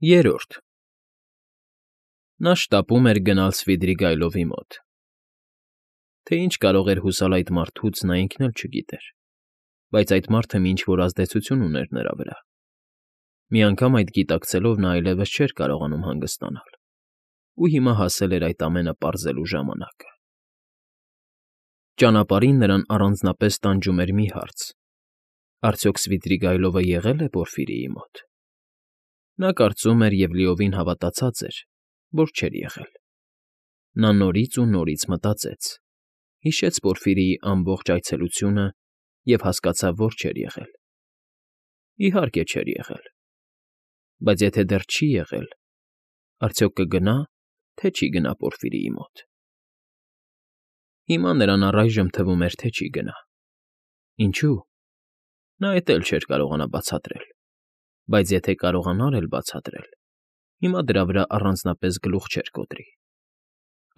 Երրորդ Նա շտապում էր գնալ Սվիդրիգայլովի մոտ. թե ինչ կարող էր հուսալ այդ մարդուց, նա ինքն էլ չգիտեր, բայց այդ մարդը ինչ֊որ ազդեցություն ուներ նրա վրա. մի անգամ այդ գիտակցելով նա այլևս չէր կարողանում հանգստանալ, ու հիմա հասել էր այդ ամենը պարզելու ժամանակը։ Ճանապարհին նրան առանձնապես տանջում էր մի հարց. արդյոք Սվիդրիգայլովը եղե՞լ է Պորֆիրիի մոտ։ Նա կարծում էր և լիովին հավատացած էր, որ չէր եղել։ Նա նորից ու նորից մտածեց, հիշեց Պորֆիրիի ամբողջ այցելությունը և հասկացավ, որ չէր եղել։ Իհարկե չէր եղել։ Բայց եթե դեռ չի եղել, արդյոք կգնա, թե չի գնա Պորֆիրիի մոտ։ Հիմա նրան առայժմ թվում էր, թե չի գնա։ Ինչու՞։ Նա էդ էլ չէր կարողանա բացատրել, բայց եթե կարողանար էլ բացատրել, հիմա դրա վրա առանձնապես գլուխ չէր կոտրի։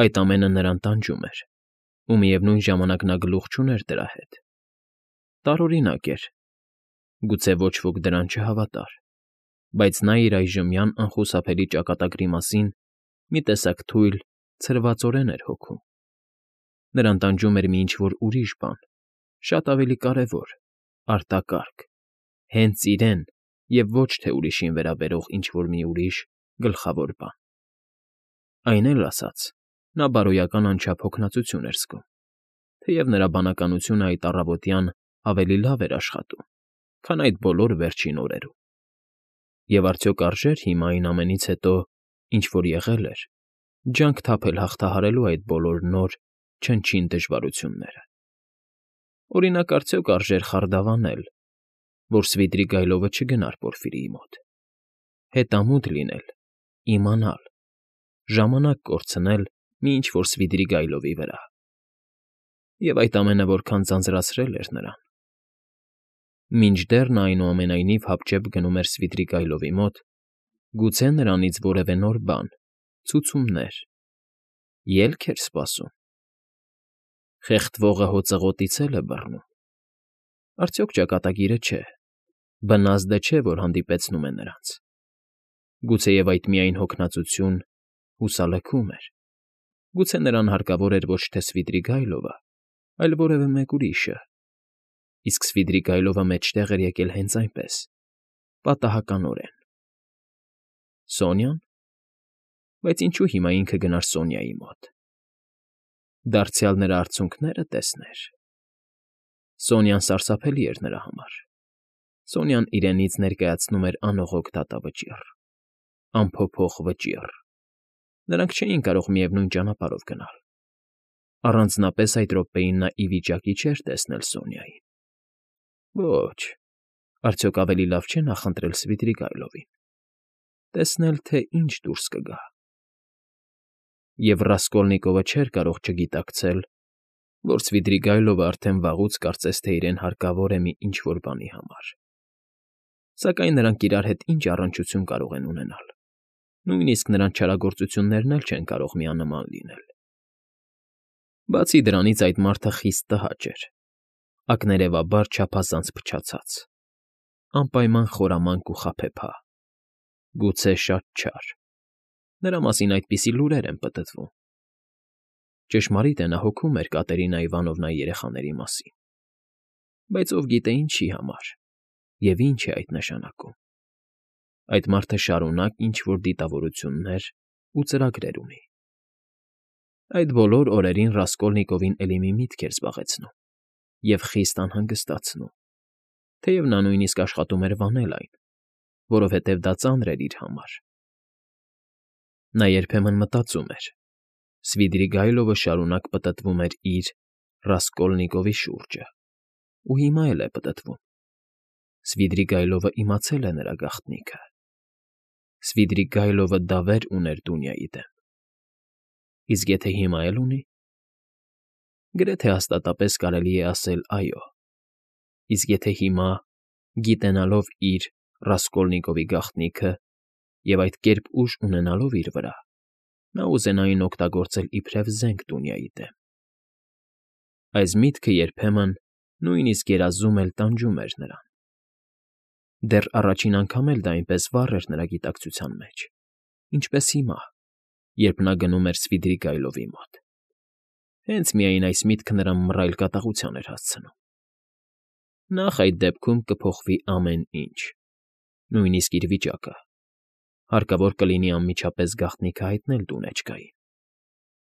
Այդ ամենը նրան տանջում էր, ու միևնույն ժամանակ նա գլուխ չուներ դրա հետ։ Տարօրինակ էր, գուցե ոչ ոք դրան չհավատար, բայց նա իր այժմյան անխուսափելի ճակատագրի մասին մի տեսակ թույլ, ցրվածորեն էր հոգում։ Նրան տանջում էր մի ինչ֊որ ուրիշ բան, շատ ավելի կարևոր, արտակարգ, հենց իրեն և ոչ թե ուրիշին վերաբերող ինչ֊որ մի ուրիշ, գլխավոր բան։ Այն էլ ասած, նա բարոյական անչափ հոգնածություն էր զգում, թեև նրա բանականությունը այդ առավոտյան ավելի լավ էր աշխատում, քան այդ բոլոր վերջին օրերում։ Եվ արդյոք արժե՞ր հիմա այն ամենից հետո, ինչ որ եղել էր, ջանք թափել հաղթահարելու այդ բոլոր նոր, չնչին դժվարությունները։ Օրինակ, արդյոք արժե՞ր խարդավանել, որ Սվիդրիգայլովը չգնար Պորֆիրիի մոտ, հետամուտ լինել, իմանալ, ժամանակ կորցնել մի ինչ֊որ Սվիդրիգայլովի վրա։ Եվ այդ ամենը որքան ձանձրացրել էր նրան։ Մինչդեռ նա այնուամենայնիվ հապճեպ գնում էր Սվիդրիգայլովի մոտ, գուցե նրանից որևէ նոր բան, ցուցումներ, ելք էր սպասում։ Խեղդվողը հոծղոտից էլ է բռնում։ Արդյոք ճակատագիրը չէ, բնազդը չէ, որ հանդիպեցնում է նրանց։ Գուցեև այդ միայն հոգնածություն, հուսալքում էր։ Գուցե նրան հարկավոր էր ոչ թե Սվիդրիգայլովը, այլ որևէ մեկ ուրիշը, իսկ Սվիդրիգայլովը մեջտեղ էր եկել հենց այնպես, պատահականորեն։ Սոնյա՞ն։ Բայց ինչու հիմա ինքը գնար Սոնյայի մոտ։ Դարձյալ նրա արցունքները տեսներ։ Սոնյան սարսափելի էր նրա համար։ Սոնյան իրենից ներկայացնում էր անողոք դատավճիռ, անփոփոխ վճիռ։ Նրանք չէին կարող միևնույն ճանապարհով գնալ։ Առանձնապես այդ րոպեին նա ի վիճակի չէր տեսնել Սոնյային։ Ոչ, արդյոք ավելի լավ չէ նախընտրել Սվիդրիգայլովին, տեսնել, թե ինչ դուրս կգա։ Եվ Ռասկոլնիկովը չէր կարող չգիտակցել, որ Սվիդրիգայլովը արդեն վաղուց կարծես թե իրեն հարկավոր է մի ինչ֊որ բանի համար։ Սակայն նրանք իրար հետ ինչ առնչություն կարող են ունենալ, նույնիսկ նրանց չարագործություններն էլ չեն կարող միանման լինել։ Բացի դրանից այդ մարդը խիստ տհաճ էր, ակներևաբար չափազանց փչացած, անպայման խորամանկ ու խաբեբա, գուցե շատ չար։ Նրա մասին այդպիսի լուրեր են պտտվում։ Ճշմարիտ է, նա հոգում էր Կատերինա Իվանովնայի երեխաների մասին, բայց ով գիտե ինչի համար և ինչ է այդ նշանակում։ Այդ մարդը շարունակ ինչ֊որ դիտավորություններ ու ծրագրեր ունի։ Այդ բոլոր օրերին Ռասկոլնիկովին էլի մի միտք էր զբաղեցնում և խիստ անհանգստացնում, թեև նա նույնիսկ աշխատում էր վանել այն, որովհետև դա ծանր էր իր համար։ Նա երբեմն մտածում էր. Սվիդրիգայլովը շարունակ պտտվում էր իր Ռասկոլնիկովի շուրջը, ու հիմա էլ է պտտվում։ Սվիդրիգայլովը իմացել է նրա գաղտնիքը։ Սվիդրիգայլովը դավեր ուներ Դունյայի դեմ։ Իսկ եթե հիմա էլ ունի։ Գրեթե հաստատապես կարելի է ասել այո։ Իսկ եթե հիմա, գիտենալով իր Ռասկոլնիկովի գաղտնիքը և այդ կերպ ուժ ունենալով իր վրա, նա ուզենա այն օգտագործել իբրև զենք Դունյայի դեմ։ Այս միտքը երբեմն նույնիսկ երազում էլ տանջում էր նրան։ Դեռ առաջին անգամ էլ դա այնպես վառ էր նրա գիտակցության մեջ, ինչպես հիմա, երբ նա գնում էր Սվիդրիգայլովի մոտ։ Հենց միայն այս միտքը նրան մռայլ կատաղության էր հասցնում։ Նախ այդ դեպքում կփոխվի ամեն ինչ, նույնիսկ իր վիճակը։ Հարկավոր կլինի անմիջապես գաղտնիքը հայտնել դունեջկային։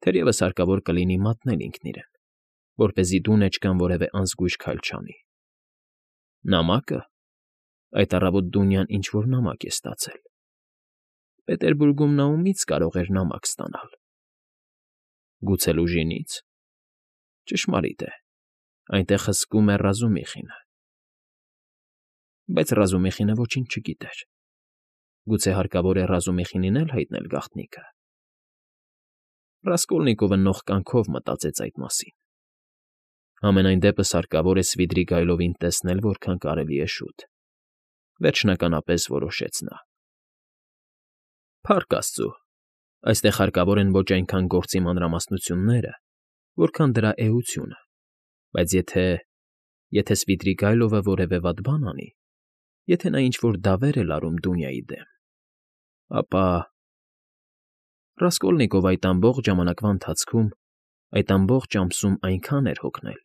Թերևս հարկավոր կլինի մատնել ինքն իրեն, որպեսզի դունեջկան որևէ անզգույշ քայլ չանի։ Նամակը։ Այդ առավոտ Դունյան ինչ֊որ նամակ է ստացել։ Պետերբուրգում նա ումից կարող էր նամակ ստանալ։ Գուցե Լուժինից։ Ճշմարիտ է, այնտեղ հսկում է Ռազումիխինը։ Բայց Ռազումիխինը ոչինչ չգիտեր։ Գուցե հարկավոր է Ռազումիխինին էլ հայտնել գաղտնիքը։ Ռասկոլնիկովը նողկանքով մտածեց այդ մասին։ Համենայն դեպս հարկավոր է Սվիդրիգայլովին տեսնել որքան կարելի է շուտ։ Վերջնականապես որոշեց նա։ Փառք աստծո, այստեղ հարկավոր են ոչ այնքան գործի մանրամասնությունները, որքան դրա էությունը, բայց եթե Սվիդրիգայլովը որևէ վատ բան անի, եթե նա ինչ֊որ դավեր է լարում Դունյայի դեմ, ապա… Ռասկոլնիկովը այդ ամբողջ ժամանակվա ընթացքում, այդ ամբողջ ամսում այնքան էր հոգնել,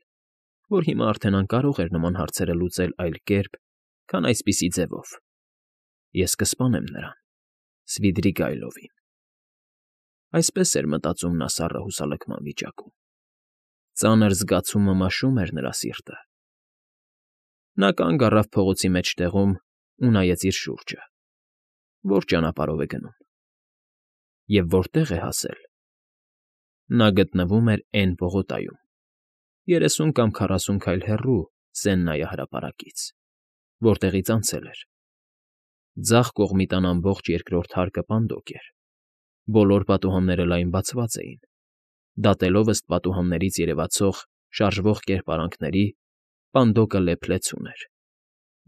որ հիմա արդեն անկարող էր նման հարցերը լուծել այլ կերպ, քան այսպիսի ձևով. «Ես կսպանեմ նրան, Սվիդրիգայլովին»։ Այսպես էր մտածում նա սառը հուսալքման վիճակում։ Ծանր զգացումը մաշում էր նրա սիրտը։ Նա կանգ առավ փողոցի մեջտեղում ու նայեց իր շուրջը։ Որ ճանապարհով է գնում։ Եվ որտեղ է հասել։ Նա գտնվում էր Էն պողոտայում, 30 կամ 40 քայլ հեռու Սեննայի հրապարակից, որտեղից անցել էր։ Ձախ կողմի տան ամբողջ երկրորդ հարկը պանդոկ էր։ Բոլոր պատուհանները լայն բացված էին, դատելով ըստ պատուհաններից երևացող շարժվող կերպարանքների, պանդոկը լեփ֊լեցուն էր։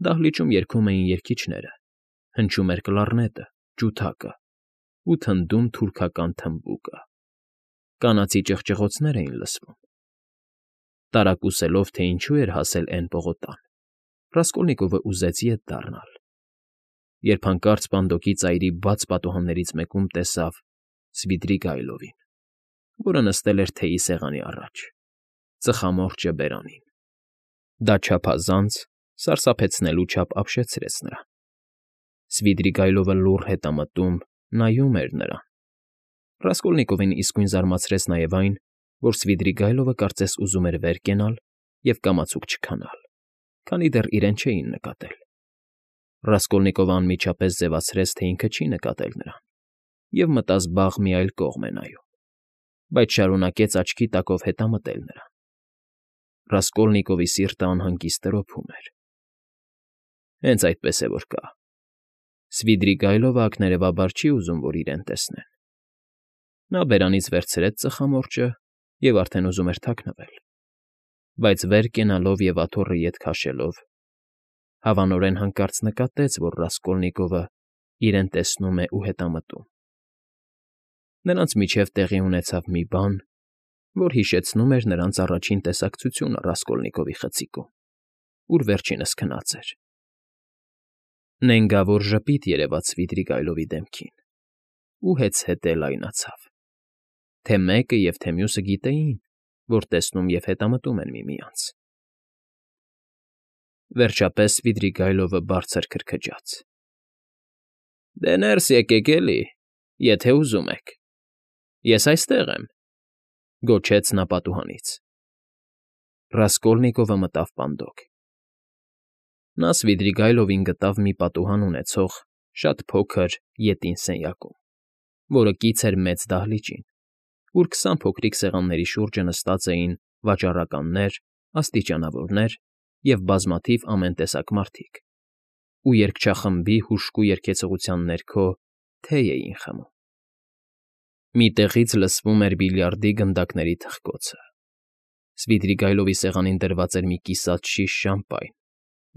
Դահլիճում երգում էին երգիչները, հնչում էր կլարնետը, ջութակը ու թնդում թուրքական թմբուկը։ Կանացի ճղճղոցներ էին լսվում։ Տարակուսելով, թե ինչու էր հասել Էն պողոտան, Ռասկոլնիկովը ուզեց ետ դառնալ, երբ հանկարծ պանդոկի ծայրի բաց պատուհաններից մեկում տեսավ Սվիդրիգայլովին, որը նստել էր թեյի սեղանի առաջ, ծխամորճը բերանին։ Դա չափազանց սարսափեցնելու չափ ապշեցրեց նրան։ Սվիդրիգայլովը լուռ հետամտում նայում էր նրան։ Ռասկոլնիկովին իսկույն զարմացրեց նաև այն, որ Սվիդրիգայլովը կարծես ուզում էր վեր կենալ և կամացուկ չքանալ, քանի դեռ իրեն չէին նկատել։ Ռասկոլնիկովը անմիջապես ձևացրեց, թե ինքը չի նկատել նրան, և մտազբաղ մի այլ կողմ է նայում, բայց շարունակեց աչքի տակով հետամտել նրան։ Ռասկոլնիկովի սիրտը անհանգիստ տրոփում էր։ Հենց այդպես է որ կա։ Սվիդրիգայլովը ակներևաբար չի ուզում, որ իրեն տեսնեն։ Նա բերանից վերցրեց ծխամորճը և արդեն ուզում էր թաքնվել, բայց վեր կենալով և աթոռը ետ քաշելով, հավանորեն հանկարծ նկատեց, որ Ռասկոլնիկովը իրեն տեսնում է ու հետամտում։ Նրանց միջև տեղի ունեցավ մի բան, որ հիշեցնում էր նրանց առաջին տեսակցությունը Ռասկոլնիկովի խցիկում, ուր վերջինս քնած էր։ Նենգավոր ժպիտ երևաց Սվիդրիգայլովի դեմքին ու հեծհետե լայնացավ, թե մեկը և թե մյուսը գիտեին, որ տեսնում և հետամտում են միմյանց։ Վերջապես Սվիդրիգայլովը բարձր քրքջաց. «Դե ներս եկեք էլի, եթե ուզում եք, ես այստեղ եմ», գոչեց նա պատուհանից։ Ռասկոլնիկովը մտավ պանդոկ։ Նա Սվիդրիգայլովին գտավ մի պատուհան ունեցող շատ փոքր ետին սենյակում, որը կից էր մեծ դահլիճին, ուր 20 փոքրիկ սեղանների շուրջը նստած էին վաճառականներ, աստիճանավորներ և բազմաթիվ ամեն տեսակ մարդիկ, ու երգչախմբի հուժկու երգեցողության ներքո թեյ էին խմում։ Մի տեղից լսվում էր բիլիարդի գնդակների թխկոցը։ Սվիդրիգայլովի սեղանին դրված էր մի կիսատ շիշ շամպայն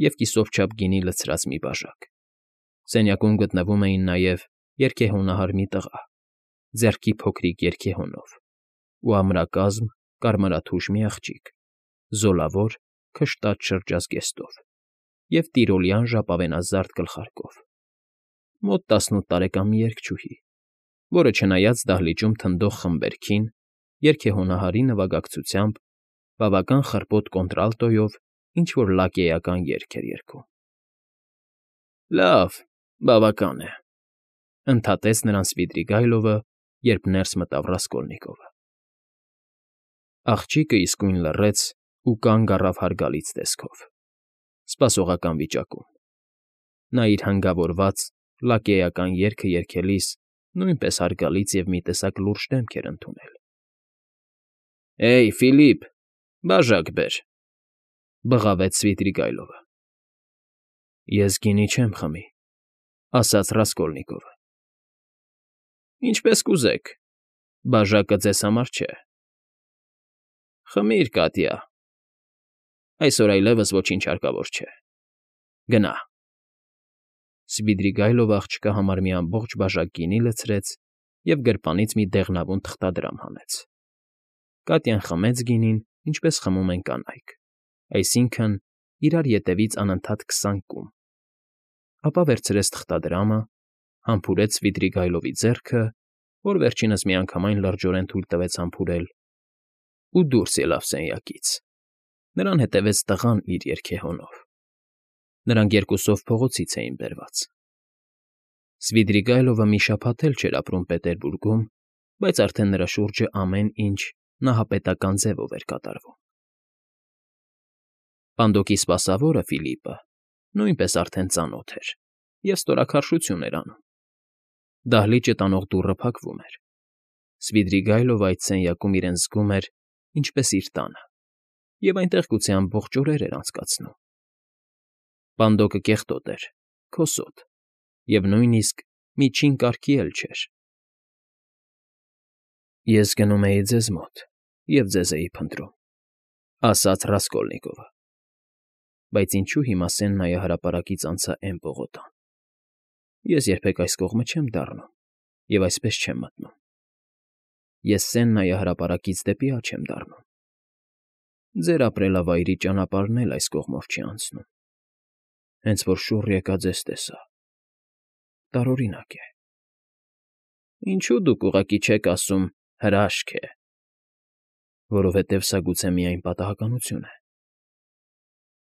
և կիսով չափ գինի լցրած մի բաժակ։ Սենյակում գտնվում էին նաև երգեհոնահար մի տղա, ձեռքի փոքրիկ երգեհոնով, ու ամրակազմ կարմրաթուշ մի աղջիկ, զոլավոր, քշտած շրջազգեստով։ և տիրոլյան ժապավենազարդ գլխարկով, մոտ 18 տարեկան մի երգչուհի, որը չնայած դահլիճում թնդող խմբերքին, երգեհոնահարի նվագակցությամբ, բավական խռպոտ կոնտրալտոյով ինչ֊որ լակեյական երգ էր երգում։ ֊ Լավ, բավական է,֊ ընդհատեց նրան Սվիդրիգայլովը, երբ ներս մտավ Ռասկոլնիկովը։ Աղջիկը իսկույն լռեց ու կանգ առավ հարգալից տեսքով, սպասողական վիճակում։ Նա իր հանգավորված, լակեյական երգը երգելիս նույնպես հարգալից և մի տեսակ լուրջ դեմք էր ընդունել։ ֊ Հեյ, Ֆիլիպ, բաժակ բեր,֊ բղավեց Սվիդրիգայլովը։ ֊ Ես գինի չեմ խմի,֊ ասաց Ռասկոլնիկովը։ ֊ Ինչպես կուզեք, բաժակը ձեզ համար չէ։ ֊ Խմիր, Կատյա, այսօր այլևս ոչինչ հարկավոր չէ, գնա։ Սվիդրիգայլովը աղջկա համար մի ամբողջ բաժակ գինի լցրեց և գրպանից մի դեղնավուն թղթադրամ հանեց։ Կատյան խմեց գինին, ինչպես խմում են կանայք, այսինքն՝ իրար ետևից անընդհատ 20 կում, ապա վերցրեց թղթադրամը, համբուրեց Սվիդրիգայլովի ձեռքը, որ վերջինս միանգամայն լրջորեն թույլ տվեց համբուրել, ու դուրս ելավ սենյակից։ Նրան հետևեց տղան իր երգեհոնով։ Նրանք երկուսով փողոցից էին բերված։ Սվիդրիգայլովը մի շաբաթ էլ չէր ապրում Պետերբուրգում, բայց արդեն նրա շուրջը ամեն ինչ նահապետական ձևով էր կատարվում։ Պանդոկի սպասավորը՝ Ֆիլիպը, նույնպես արդեն ծանոթ էր և ստորաքարշություն էր անում։ Դահլիճը տանող դուռը փակվում էր։ Սվիդրիգայլովը այդ սենյակում իրեն զգում էր ինչպես իր տանը, և այնտեղ գուցե ամբողջ օրեր էր անցկացնում։ Պանդոկը կեղտոտ էր, քոսոտ և նույնիսկ միջին կարգի էլ չէր։ ֊ Ես գնում էի ձեզ մոտ և ձեզ էի փնտրում,֊ ասաց Ռասկոլնիկովը,֊ բայց ինչու հիմա Սեննայի հրապարակից անցա էն պողոտան։ Ես երբեք այս կողմը չեմ դառնում և այսպես չեմ մտնում։ Ես Սեննայի հրապարակից դեպի աջ եմ դառնում։ Ձեր ապրելավայրի ճանապարհն էլ այս կողմով չի անցնում։ Հենց որ շուռ եկա, ձեզ տեսա։ Տարօրինակ է։ Ինչո՞ւ դուք ուղղակի չեք ասում «հրաշք է»։ Որովհետև սա գուցե միայն պատահականություն է։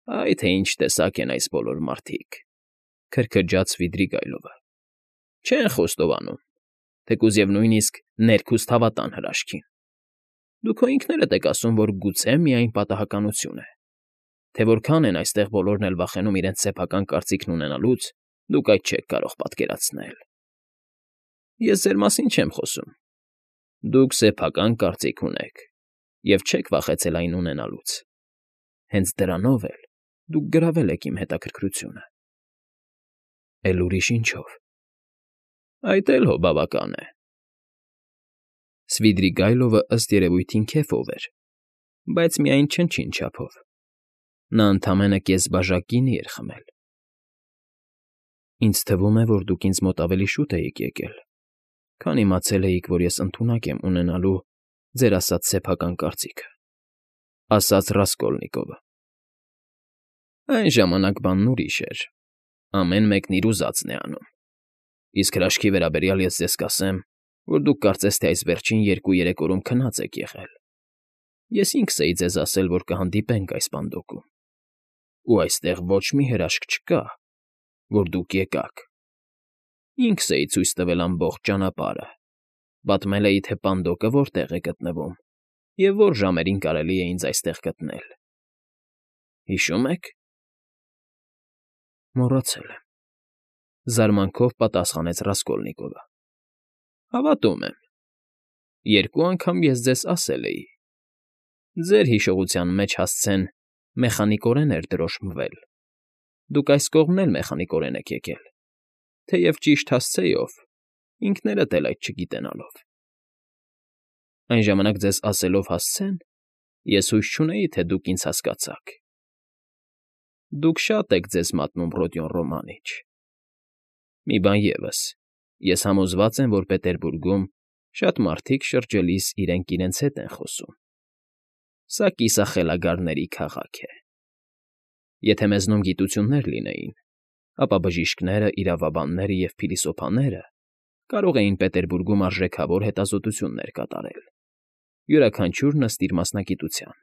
Այ թե ինչ տեսակ են այս բոլոր մարդիկ,֊ քրքրջաց Սվիդրիգայլովը։ Չեն խոստովանում, թեկուզ և նույնիսկ ներքուստ հավատան հրաշքին։ Դուք քո ինքներդ եք ասում, որ գուցե միայն պատահականություն է։ Թե որքան են այստեղ բոլորն էլ վախենում իրենց սեփական կարծիքն ունենալուց, դուք այդ չեք կարող պատկերացնել։ Ես ձեր մասին չեմ խոսում։ Դուք սեփական կարծիք ունեք և չեք վախեցել այն ունենալուց։ Հենց դրանով էլ դուք գրավել եք իմ հետաքրքրությունը։ Էլ ուրիշ ինչո՞վ։ Այդ էլ հո բավական է։ Սվիդրիգայլովը ըստ երևույթին քեֆով էր, բայց միայն չնչին չափով։ Նա ընդամենը կես բաժակ գինի էր խմել։ Ինձ թվում է, որ դուք ինձ մոտ ավելի շուտ էիք եկել, քան իմացել էիք, որ ես ընդունակ եմ ունենալու ձեր ասած սեփական կարծիքը,֊ ասաց Ռասկոլնիկովը։ Այն ժամանակ բանն ուրիշ էր, ամեն մեկն իր ուզածն է անում։ Իսկ հրաշքի վերաբերյալ ես ձեզ կասեմ, որ դուք կարծես թե այս վերջին 2-3 օրում քնած եք եղել։ Ես ինքս էի ձեզ ասել, որ կհանդիպենք այս պանդոկում, ու այստեղ ոչ մի հրաշք չկա, որ դուք եկաք։ Ինքս էի ցույց տվել ամբողջ ճանապարհը, պատմել էի, թե պանդոկը որտեղ է գտնվում և որ ժամերին կարելի է ինձ այստեղ գտնել։ Հիշո՞ւմ եք։ Մոռացել եմ,֊ զարմանքով պատասխանեց Ռասկոլնիկովը։ Հավատում եմ։ 2 անգամ ես ձեզ ասել էի։ Ձեր հիշողության մեջ հասցեն մեխանիկորեն էր դրոշմվել։ Դուք այս կողմն էլ մեխանիկորեն եք եկել, թեև ճիշտ հասցեով, ինքներդ էլ այդ չգիտենալով։ Այն ժամանակ ձեզ ասելով հասցեն, ես հույս չունեի, թե դուք ինձ հասկացաք։ Դուք շատ եք ձեզ մատնում Ռոդիոն Ռոմանիչ։ Մի բան ևս, ես համոզված եմ, որ Պետերբուրգում շատ մարդիկ շրջելիս իրենք իրենց հետ են խոսում։ Սա կիսախելագարների քաղաք է։ Եթե մեզնում գիտություններ լինեին, ապա բժիշկները, իրավաբանները և փիլիսոփաները կարող էին Պետերբուրգում արժեքավոր հետազոտություններ կատարել, յուրաքանչյուրն ըստ իր մասնագիտության։